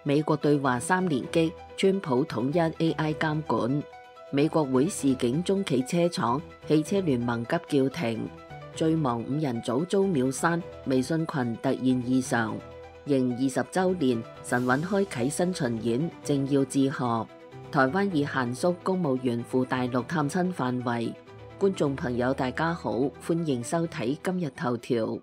美國對華3連擊，川普統一 AI 監管。美國會示警中企車廠，汽車聯盟急叫停。最忙5人組遭秒刪，微信群突現異常。迎20週年，神韻開啟新巡演，正要致賀。台灣已限縮公務員赴大陸探親範圍。觀眾朋友大家好，歡迎收睇今日頭條。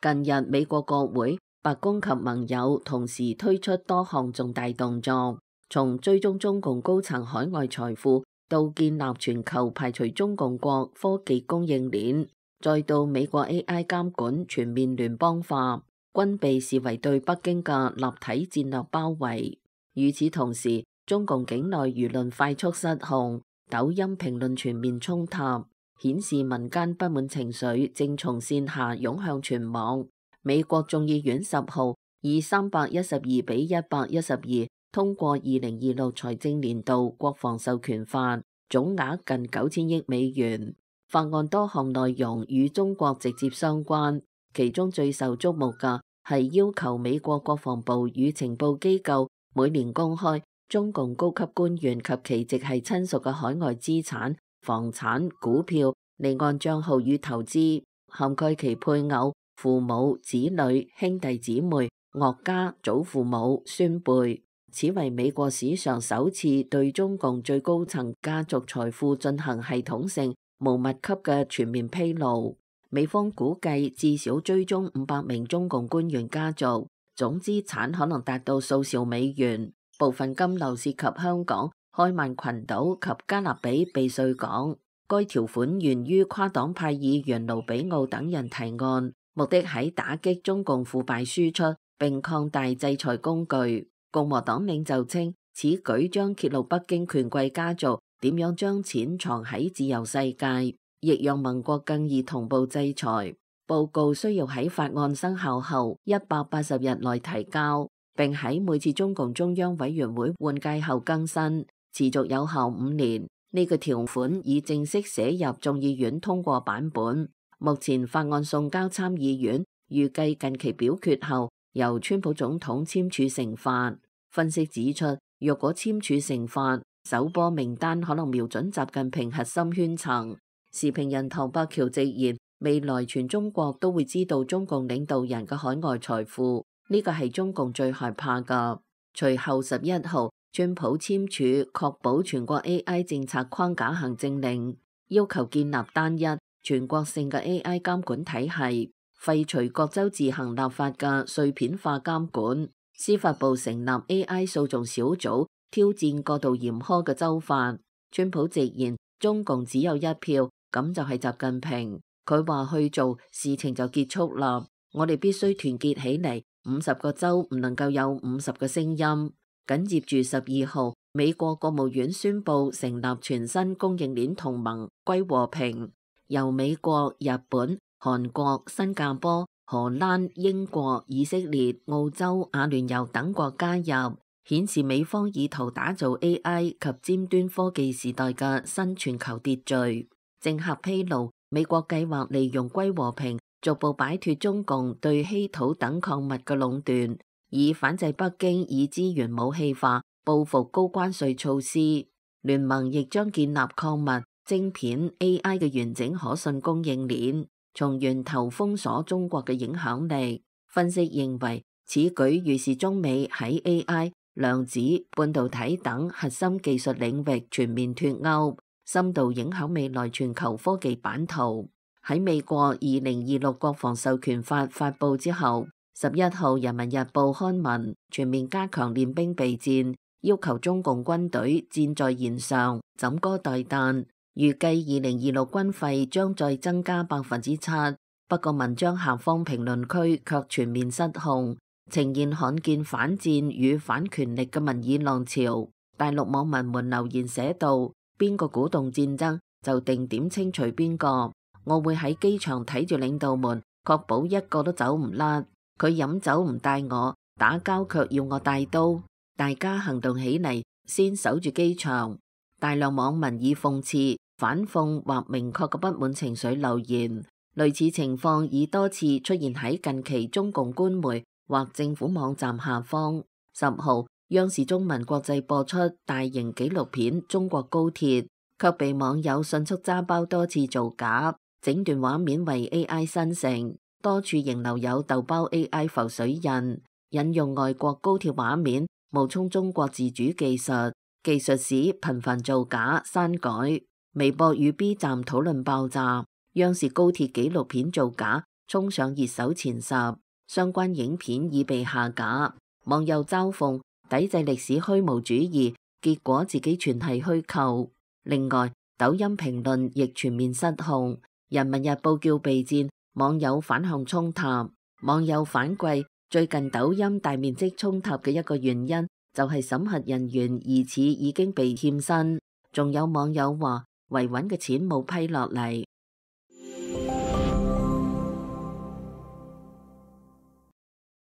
近日，美國國會、白宮及盟友同時推出多項重大動作，從追蹤中共高層海外財富，到建立全球排除中共國科技供應鏈，再到美國 AI 監管全面聯邦化，均被視為對北京嘅立體戰略包圍。與此同時，中共境內輿論快速失控，抖音評論全面衝塔，顯示民間不滿情緒正從線下湧向全網。美國眾議院10號以312比112通過2026財政年度國防授權法，總額近9000億美元。法案多項內容與中國直接相關，其中最受矚目嘅係要求美國國防部與情報機構每年公開中共高級官員及其直系親屬嘅海外資產、房產、股票、離岸帳號與投資，涵蓋其配偶、父母、子女、兄弟姊妹、岳家、祖父母、孫輩。此為美國史上首次對中共最高層家族財富進行系統性無密級嘅全面披露。美方估計至少追蹤500名中共官員家族，總資產可能達到數兆美元。部分金流涉及香港、開曼群島及加勒比避稅港。該條款源於跨黨派議員盧比奧等人提案，目的喺打擊中共腐敗輸出並擴大制裁工具。共和黨領袖稱，此舉將揭露北京權貴家族點樣將錢藏喺自由世界，亦讓盟國更易同步制裁。報告需要喺法案生效後180日內提交，並喺每次中共中央委員會換屆後更新，持續有效5年。呢個條款已正式寫入眾議院通過版本。目前法案送交參議院，預計近期表決後由川普總統簽署成法。分析指出，若果簽署成法，首波名單可能瞄準習近平核心圈層。時評人唐伯橋直言，未來全中國都會知道中共領導人嘅海外財富，呢個係中共最害怕㗎。隨後11號，川普簽署確保全國 AI 政策框架行政令，要求建立單一全國性嘅 AI 監管體系，廢除各州自行立法嘅碎片化監管。司法部成立 AI 訴訟小組，挑戰過度嚴苛嘅州法。川普直言，中共只有一票，咁就係習近平。佢話去做，事情就結束啦。我哋必須團結起嚟，50個州唔能夠有50個聲音。緊接住12號，美國國務院宣布成立全新供應鏈同盟歸和平，由美國、日本、韓國、新加坡、荷蘭、英國、以色列、澳洲、阿聯酋等國加入，顯示美方意圖打造 AI 及尖端科技時代嘅新全球秩序。政客披露，美國計劃利用歸和平逐步擺脫中共對稀土等礦物嘅壟斷，以反制北京以資源武器化報復高關稅措施。聯盟亦將建立礦物、晶片、AI 嘅完整可信供應鏈，從源頭封鎖中國嘅影響力。分析認為，此舉預示中美喺 AI、量子、半導體等核心技術領域全面脫鈎，深度影響未來全球科技版圖。喺美國2026國防授權法發布之後，11號《人民日報》刊文全面加強練兵備戰，要求中共軍隊箭在弦上，枕戈待旦。預計2026軍費將再增加7%，不過文章下方評論區卻全面失控，呈現罕見反戰與反權力嘅民意浪潮。大陸網民們留言寫道：邊個鼓動戰爭就定點清除邊個，我會喺機場睇住領導們，確保一個都走唔甩。佢飲酒唔帶我，打交卻要我帶刀，大家行動起嚟，先守住機場。大量網民以諷刺、反諷或明確嘅不滿情緒留言，類似情況已多次出現喺近期中共官媒或政府網站下方。10號，央視中文國際播出大型紀錄片《中國高鐵》，卻被網友迅速揸包多次造假，整段畫面為 AI 生成，多處仍留有豆包 AI 浮水印，引用外國高鐵畫面，冒充中國自主技術，技術史頻繁造假刪改。微博與 B 站討論爆炸，央視高鐵紀錄片造假衝上熱搜前10，相關影片已被下架。網友嘲諷抵制歷史虛無主義，結果自己全係虛構。另外，抖音評論亦全面失控，人民日報叫備戰，網友反向衝塔。網友反饋，最近抖音大面積衝塔嘅一個原因就係審核人員疑似已經被欠薪，仲有網友話維穩嘅錢冇批落嚟。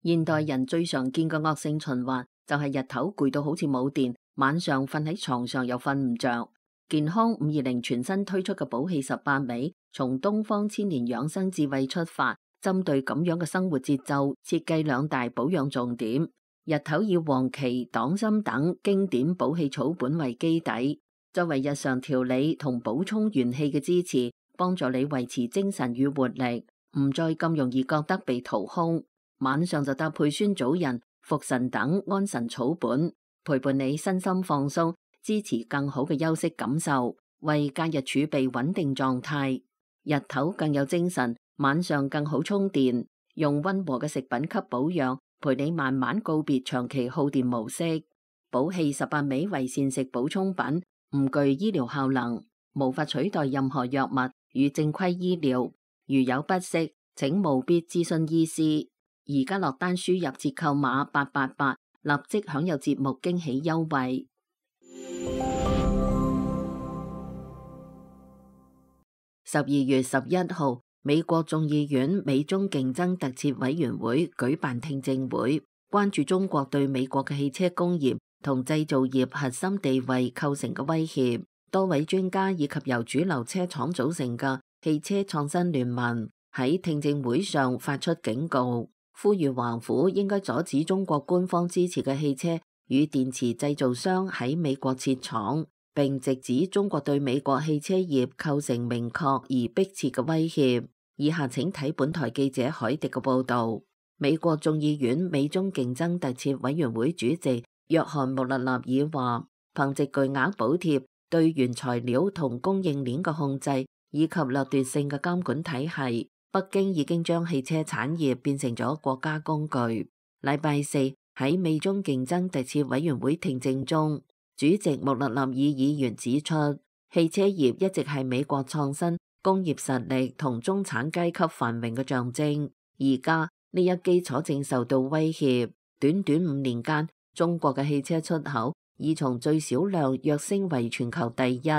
現代人最常見嘅惡性循環就係日頭攰到好似冇電，晚上瞓喺床上又瞓唔着。健康520全新推出嘅補氣18味，從東方千年養生智慧出發，針對咁樣嘅生活節奏，設計2大保養重點。日頭以黃芪、黨參等經典補氣草本為基底，作為日常調理同補充元氣嘅支持，幫助你維持精神與活力，唔再咁容易覺得被掏空。晚上就搭配酸棗仁、茯神等安神草本，陪伴你身心放鬆，支持更好嘅休息感受，為假日儲備穩定狀態。日頭更有精神，晚上更好充電。用溫和嘅食品給保養，陪你慢慢告別長期耗電模式。補氣18味為膳食補充品，唔具醫療效能，無法取代任何藥物與正規醫療。如有不適，請務必諮詢醫師。而家落單輸入折扣碼888，立即享有節目驚喜優惠。12月11號，美國眾議院美中競爭特設委員會舉辦聽證會，關注中國對美國嘅汽車工業同製造業核心地位構成嘅威脅。多位專家以及由主流車廠組成嘅汽車創新聯盟喺聽證會上發出警告，呼籲華府應該阻止中國官方支持嘅汽車與電池製造商喺美國設廠，並直指中國對美國汽車業構成明確而迫切嘅威脅。以下請睇本台記者海迪嘅報道。美國眾議院美中競爭特設委員會主席約翰穆勒納爾話，憑借巨額補貼對原材料同供應鏈嘅控制以及掠奪性嘅監管體系，北京已經將汽車產業變成咗國家工具。禮拜四喺美中競爭特設委員會聽證中，主席穆勒納爾議員指出，汽車業一直係美國創新工業實力同中產階級繁榮嘅象徵，而家呢一基礎正受到威脅。短短5年間，中國嘅汽車出口已從最少量躍升為全球第一，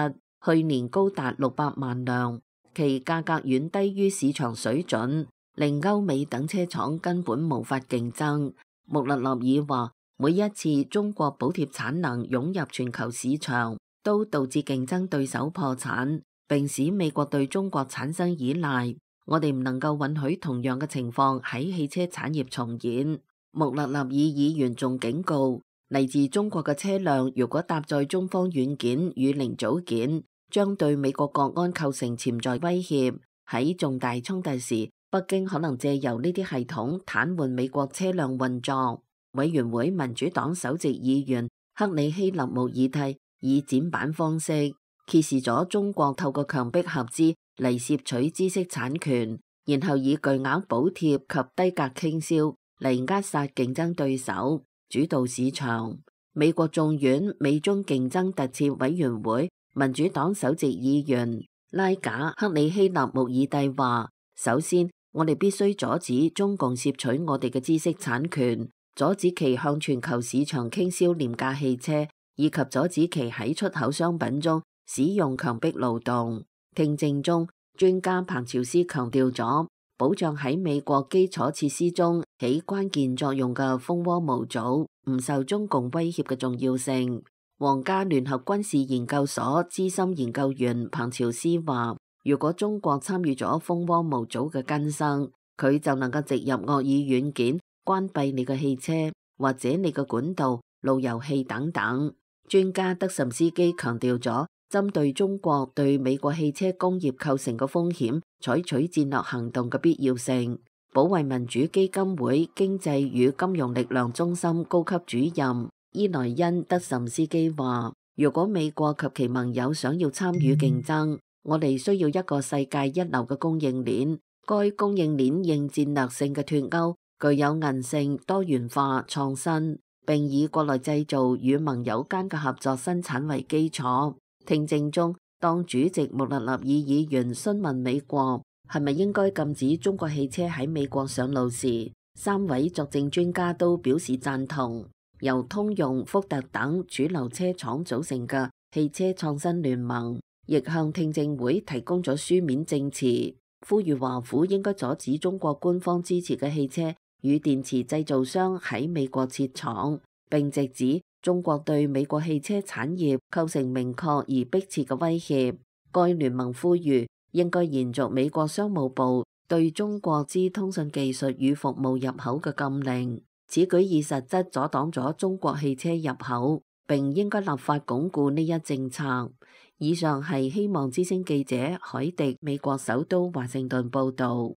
去年高達600萬輛。其價格遠低於市場水準，令歐美等車廠根本無法競爭。穆勒納爾話，每一次中國補貼產能湧入全球市場，都導致競爭對手破產，並使美國對中國產生依賴。我哋唔能夠允許同樣嘅情況喺汽車產業重演。穆勒納爾議員仲警告，嚟自中國嘅車輛如果搭載中方軟件與零組件，將對美國國安構成潛在威脅。喺重大衝突時，北京可能借由呢啲系統癱瘓美國車輛運作。委員會民主黨首席議員克里希納穆爾蒂以剪版方式揭示咗中國透過強迫合資嚟攝取知識產權，然後以巨額補貼及低價傾銷嚟扼殺競爭對手，主導市場。美國眾院美中競爭特設委員會民主黨首席議員拉賈克里希納穆爾蒂話，首先我哋必須阻止中共攝取我哋嘅知識產權，阻止其向全球市場傾銷廉價汽車，以及阻止其喺出口商品中使用強迫勞動。聽證中，專家彭朝斯強調咗保障喺美國基礎設施中起關鍵作用嘅蜂窩模組唔受中共威脅嘅重要性。皇家聯合軍事研究所資深研究員彭朝斯話，如果中國參與咗蜂窩模組嘅更新，佢就能夠植入惡意軟件，關閉你嘅汽車或者你嘅管道、路由器等等。專家德什斯基強調咗，針對中國對美國汽車工業構成嘅風險，採取戰略行動嘅必要性。保衛民主基金會經濟與金融力量中心高級主任伊萊恩德什斯基話，如果美國及其盟友想要參與競爭，我哋需要一個世界一流嘅供應鏈。該供應鏈應戰略性嘅脫鈎，具有韌性、多元化、創新，並以國內製造與盟友間嘅合作生產為基礎。聽證中，當主席穆勒納爾議員詢問美國係咪應該禁止中國汽車喺美國上路時，三位作證專家都表示贊同。由通用、福特等主流車廠組成嘅汽車創新聯盟，亦向聽證會提供咗書面證詞，呼籲華府應該阻止中國官方支持嘅汽車與電池製造商喺美國設廠，並直指中國對美國汽車產業構成明確而迫切嘅威脅。該聯盟呼籲應該延續美國商務部對中國之通訊技術與服務入口嘅禁令，此舉以實質阻擋咗中國汽車入口，並應該立法鞏固呢一政策。以上係希望之聲記者海迪美國首都華盛頓報道。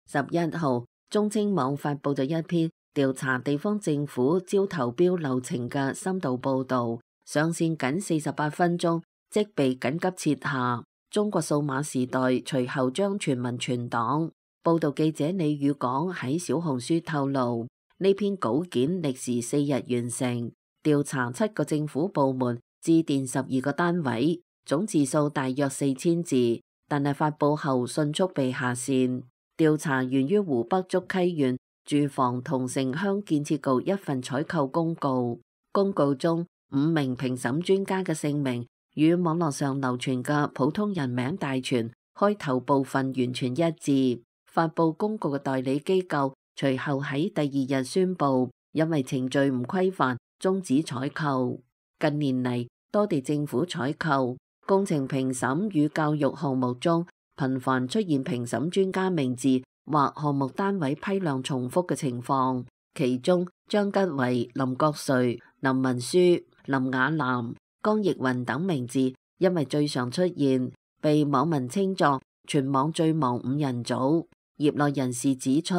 11號，中青網發佈咗一篇調查地方政府招投標流程嘅深度報導，上線僅48分鐘即被緊急撤下。中國數碼時代隨後將全民存檔。報導記者李宇港喺小紅書透露，呢篇稿件歷時4日完成，調查7個政府部門，致電12個單位，總字數大約4000字，但係發佈後迅速被下線。調查源於湖北竹溪縣住房同城鄉建設局一份採購公告，公告中5名評審專家嘅姓名與網絡上流傳嘅普通人名大全開頭部分完全一致。發佈公告嘅代理機構隨後喺第2日宣布，因為程序唔規範，終止採購。近年嚟，多地政府採購、工程評審與教育項目中，頻繁出現評審專家名字或項目單位批量重複嘅情況，其中張吉為、林國瑞、林文書、林雅南、江奕雲等名字因為最常出現，被網民稱作全網最忙5人組。業內人士指出，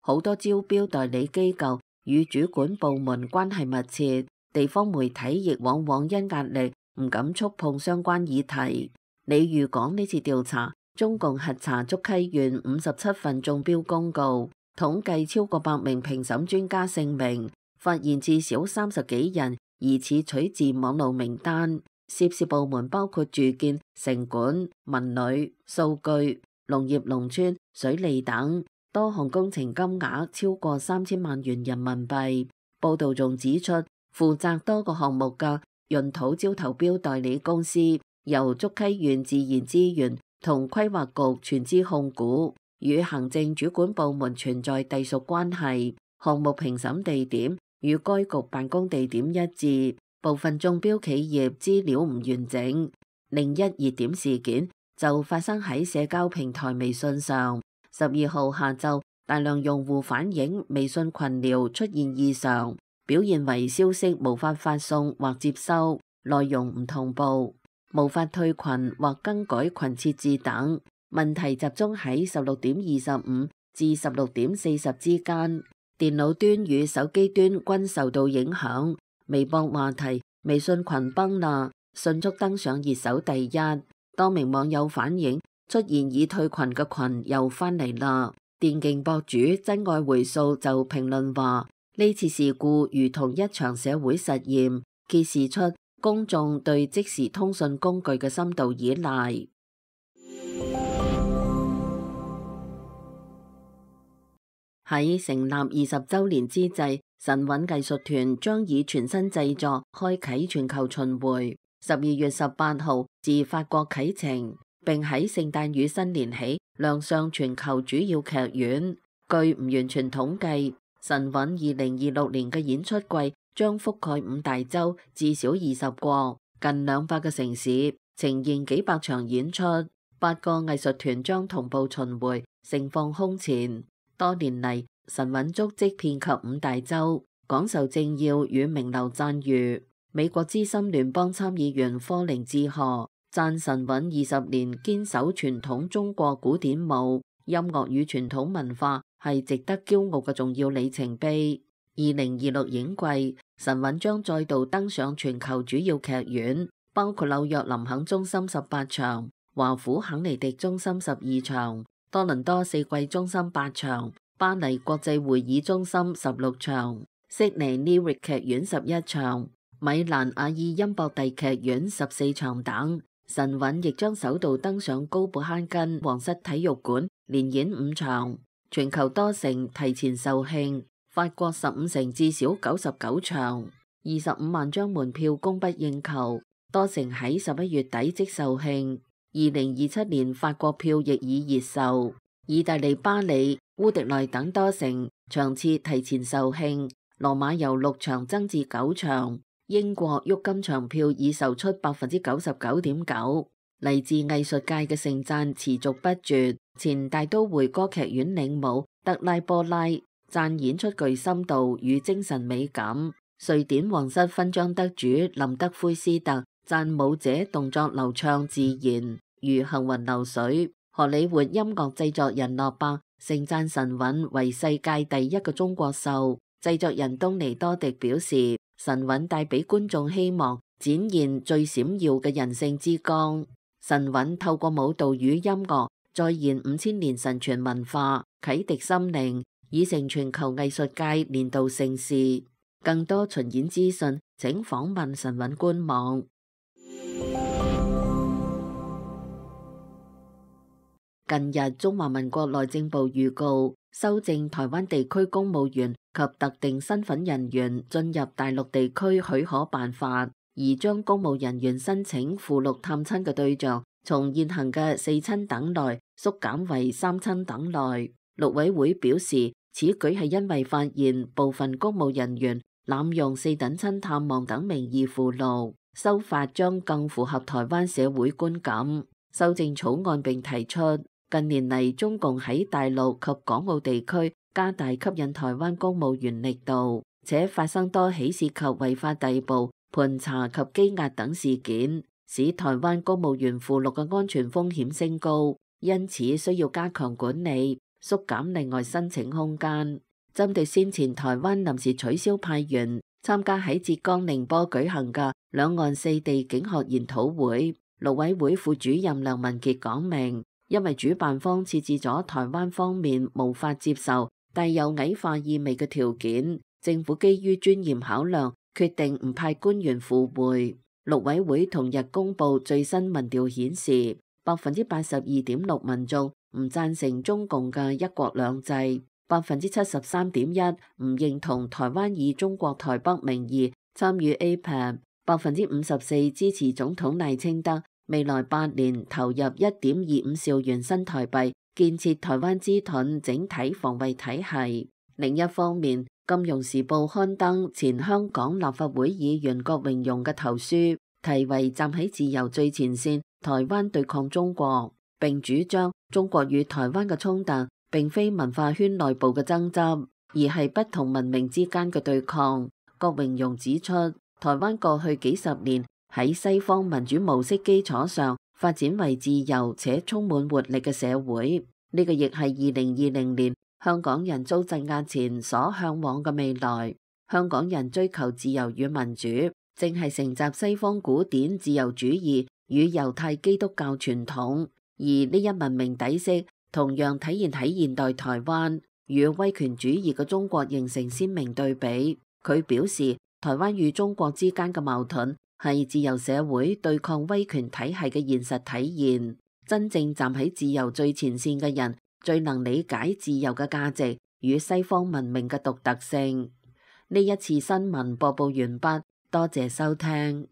好多招標代理機構與主管部門關係密切，地方媒體亦往往因壓力唔敢觸碰相關議題。李宇港呢次調查，中共核查竹溪縣57份中標公告，統計超過100名評審專家姓名，發現至少30幾人疑似取自網路名單。涉事部門包括住建、城管、文旅、數據、農業農村、水利等，多項工程金額超過3000萬元人民幣。報道仲指出，負責多個項目嘅潤土招投標代理公司由竹溪縣自然資源同規劃局全資控股，與行政主管部門存在隸屬關係。項目評審地點與該局辦公地點一致，部分中標企業資料唔完整。另一熱點事件就發生喺社交平台微信上。12號下晝，大量用戶反映微信群聊出現異常，表現為消息無法發送或接收，內容唔同步，無法退群或更改群設置等。問題集中喺16點25至16點40之間，電腦端與手機端均受到影響。微博話題微信群崩啦，迅速登上熱搜第一。多名網友反映出現已退群嘅群又翻嚟啦。電競博主真愛回溯就評論話，呢次事故如同一場社會實驗，揭示出公眾對即時通訊工具嘅深度依賴。喺成立20週年之際，神韻藝術團將以全新製作開啟全球巡迴。12月18號自法國啟程，並喺聖誕與新年起亮相全球主要劇院。據唔完全統計，神韻2026年嘅演出季將覆蓋5大洲至少20國，近200個城市，呈現幾百場演出。8個藝術團將同步巡迴，盛況空前。多年嚟，神韻足跡遍及5大洲，廣受政要與名流讚譽。美國資深聯邦參議員科寧致賀讚神韻20年堅守傳統中國古典舞、音樂與傳統文化係值得驕傲嘅重要里程碑。2026影季，神韻將再度登上全球主要劇院，包括紐約林肯中心18場、華府肯尼迪中心12場、多倫多四季中心8場、巴黎國際會議中心16場、悉尼 Lyric 劇院11場、米蘭阿爾音博蒂劇院14場等。神韻亦將首度登上高布克根皇室體育館，連演5場。全球多城提前售罄，法國15城至少99場，25萬張門票供不應求，多城喺11月底即售罄。2027年法國票亦已熱售，意大利巴黎、烏迪內等多城場次提前售罄，羅馬由6場增至9場。英國鬱金場票已售出99.9%，嚟自藝術界嘅盛讚持續不絕。前大都會歌劇院領舞德拉波拉讚演出具深度與精神美感。瑞典皇室勳章得主林德奎斯特讚舞者動作流暢自然，如行雲流水。荷里活音樂製作人諾伯盛讚神韻為世界第一個中國秀。製作人東尼多迪表示，神韻帶俾觀眾希望，展現最閃耀嘅人性之光。神韻透過舞蹈與音樂再現5000年神傳文化，啟迪心靈，已成全球藝術界年度盛事。更多巡演資訊，請訪問神韻官網。近日，中華民國內政部預告修正台灣地區公務員及特定身份人員進入大陸地區許可辦法，而將公務人員申請赴陸探親嘅對象從現行嘅4親等內縮減為3親等內。陸委會表示，此舉係因為發現部分公務人員濫用4等親探望等名義赴陸，修法將更符合台灣社會觀感。修正草案並提出，近年嚟中共喺大陸及港澳地區加大吸引台灣公務員力度，且發生多起涉及違法逮捕、盤查及羈押等事件，使台灣公務員赴陸嘅安全風險升高，因此需要加強管理，縮減另外申請空間。針對先前台灣臨時取消派員參加喺浙江寧波舉行嘅兩岸4地境學研討會，陸委會副主任梁文傑講明，因為主辦方設置咗台灣方面無法接受帶有矮化意味嘅條件，政府基於尊嚴考量，決定唔派官員赴會。陸委會同日公布最新民調顯示，82.6%民眾唔贊成中共嘅一國兩制，73.1%唔認同台灣以中國台北名義參與 APEC，54% 支持總統賴清德未來8年投入1.25兆元新台幣建設台灣之盾整體防衛體系。另一方面，《金融時報》刊登前香港立法會議員郭榮鏞嘅投書，題為《站喺自由最前線，台灣對抗中國》，並主張中國與台灣嘅衝突並非文化圈內部嘅爭執，而係不同文明之間嘅對抗。郭榮鏞指出，台灣過去幾十年喺西方民主模式基礎上發展為自由且充滿活力嘅社會，呢個亦係2020年香港人遭鎮壓前所向往嘅未來。香港人追求自由與民主，正係承襲西方古典自由主義與猶太基督教傳統，而呢一文明底色同樣體現喺現代台灣，與威權主義嘅中國形成鮮明對比。佢表示，台灣與中國之間嘅矛盾係自由社會對抗威權體系嘅現實體現。真正站喺自由最前線嘅人，最能理解自由嘅價值與西方文明嘅獨特性。呢一次新聞播報完畢，多謝收聽。